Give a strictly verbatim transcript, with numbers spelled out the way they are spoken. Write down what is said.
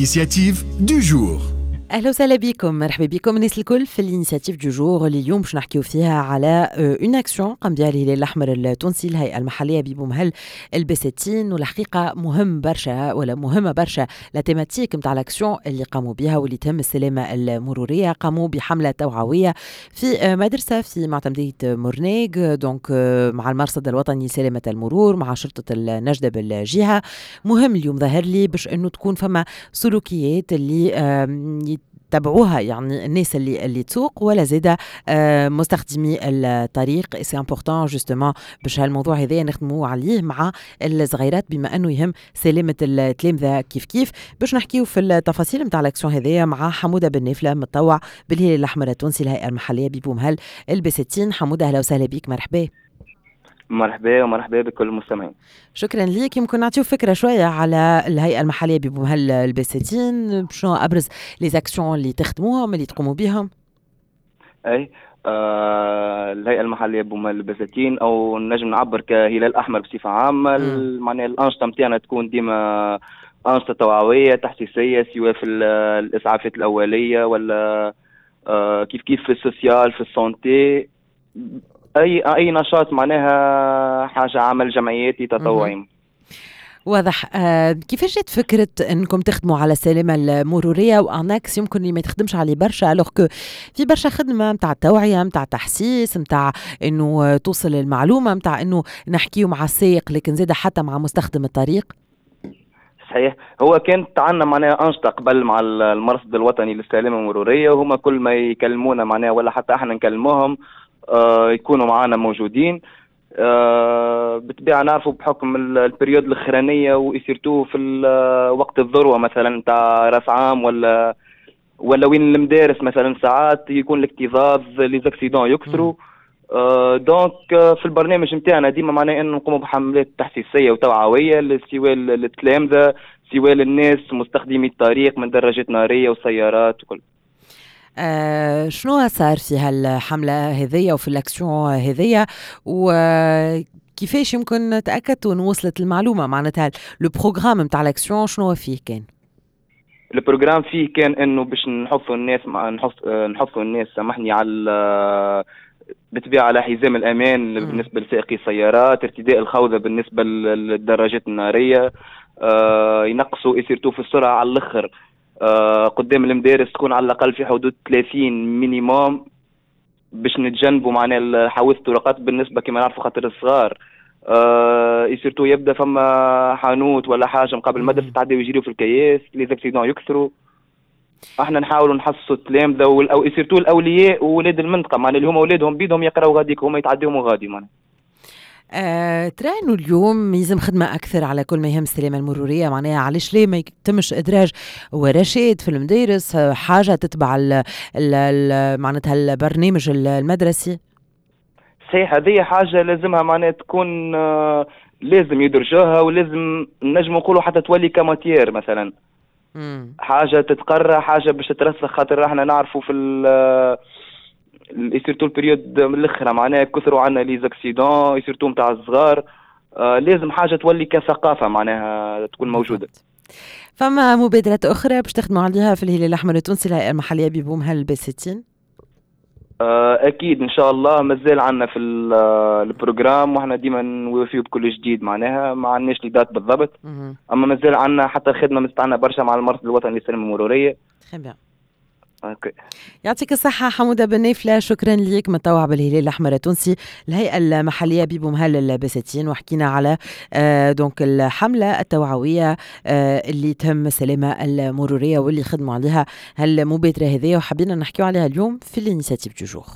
L'initiative du jour. اهلا وسهلا بكم، مرحبا بكم الناس الكل في l'initiative du jour اللي اليوم باش نحكيو فيها على une action قام بها الهلال الاحمر التونسي، الهيئة المحلية ببومهل البساتين. والحقيقة مهم برشا ولا مهمة برشا la thématique نتاع l'action اللي قاموا بها واللي تهم السلامة المروريه. قاموا بحمله توعوية في مدرسه في معتمديه مرناق، donc مع المرصد الوطني لسلامة المرور، مع شرطه النجده بالجهه. مهم اليوم ظهر لي باش انه تكون فما سلوكيات اللي تبعوها، يعني الناس اللي اللي تسوق ولا زاده آه، مستخدمي الطريق. c'est important justement باش هالموضوع هذا نخدموا عليه مع الصغيرات، بما انه يهم سلامه التلامذه كيف كيف. باش نحكيو في التفاصيل نتاع l'action هذايا مع حموده بن نافلة، متطوع بالهلال الاحمر التونسي، الهيئة المحلية ببومهل البساتين. حموده، اهلا وسهلا بك، مرحبا. مرحبا ومرحبا بكل المستمعين. شكرا لك. يمكن نعطيو فكرة شوية على الهيئة المحلية ببومهل البساتين، شنو ابرز les actions اللي تخدموهم، اللي تقوموا بهم؟ اي، آه الهيئة المحلية ببومهل البساتين او نجم نعبر كهلال احمر بصفة عامه، معناها الانشطة نتاعنا تكون ديما انشطة توعوية تحسيسيه، سواء في الاسعافات الاولية ولا آه كيف كيف في ال social، في ال santé، اي اي نشاط، معناها حاجة عمل جمعياتي تطوعي. واضح. آه كيفاش جات فكرة انكم تخدموا على السلامة المرورية و un axe يمكن اللي ما يتخدمش عليه برشا، alors que في برشا خدمة نتاع التوعية، نتاع تحسيس، نتاع انه توصل المعلومة، نتاع انه نحكيو مع السائق لكن زاد حتى مع مستخدم الطريق؟ صحيح، هو كانت عندنا معناها انشطة قبل مع المرصد الوطني للسلامة المروريه، وهما كل ما يكلمونا معناها ولا حتى احنا نكلموهم آه، يكونوا معنا موجودين. آه، بالطبيعة نعرفوا بحكم ال période الاخرانية و surtout في وقت الذروة مثلا نتاع راس عام ولا ولا وين المدارس مثلا، ساعات يكون الاكتظاظ، les accidents يكثروا. آه donc في البرنامج نتاعنا ديما معناه انه نقوموا بحملات تحسيسيه وتوعويه، سواء للتلامذه سواء للناس مستخدمي الطريق من دراجات نارية وسيارات وكل. آه شنو صار في هالحملة هذية وفي l'action هذية، وكيفاش يمكن تأكدتوا أنه وصلت المعلومة؟ معناتها le programme نتاع l'action شنو فيه كان؟ ال programme فيه كان انه باش نحثوا الناس مع نحث نحثوا الناس، سامحني، على بالطبيعة على حزام الامان بالنسبة لسائقي السيارات، ارتداء الخوذه بالنسبة للدراجات الناريه، آه ينقصوا surtout في السرعة على الاخر آه قدام المدارس، تكون على الاقل في حدود ثلاثين minimum باش نتجنبوا معناها حوادث الطرقات بالنسبة كما نعرفوا خاطر الصغار آه surtout يبدا فما حانوت ولا حاجة مقابل المدرسه، تعديو يجريو في الكياس، les accidents يكثروا. احنا نحاولوا نحسسوا التلامذه او surtout الاولياء وولاد المنطقه، معناها اللي هما اولادهم بيدهم يقراوا غاديك، هما يتعديهم غادي معناها. آه، ترى انه اليوم يلزم خدمة اكثر على كل ما يهم السلامة المروريه؟ معناها علاش ليه ما يتمش ادراج ورشات في المدارس، حاجة تتبع ال ال معناتها البرنامج المدرسي؟ صحيح، هذه حاجة لازمها معناها تكون آه، لازم يدرجوها، ولازم نجم نقولوا حتى تولي ك matière مثلا، مم. حاجة تتقرى، حاجة باش تترسخ، خاطر احنا نعرفوا في surtout ال période من الاخرى معناها كثروا عندنا les accidents surtout نتاع الصغار. آه لازم حاجة تولي كثقافه معناها تكون موجوده. فما مبادرات اخرى باش تخدموا عليها في الهلال الاحمر التونسي، الهيئة المحلية ببومهل البساتين؟ آه، اكيد ان شاء الله، مازال عندنا في ال programme، واحنا ديما نوافيو بكل جديد، معناها ما عندناش les dates بالضبط، اما مازال عندنا حتى الخدمة متاعنا برشا مع المرصد الوطني للسلامة المروريه. Très bien. OK، يعطيك الصحة حمودة بن نافلة، شكرا لك، متطوع بالهلال الأحمر التونسي، الهيئة المحلية ببومهل البساتين، وحكينا على آه، donc الحملة التوعوية آه، اللي تهم السلامة المرورية واللي خدموا عليها هالمبادرة هذه وحبينا نحكيو عليها اليوم في l'initiative du jour.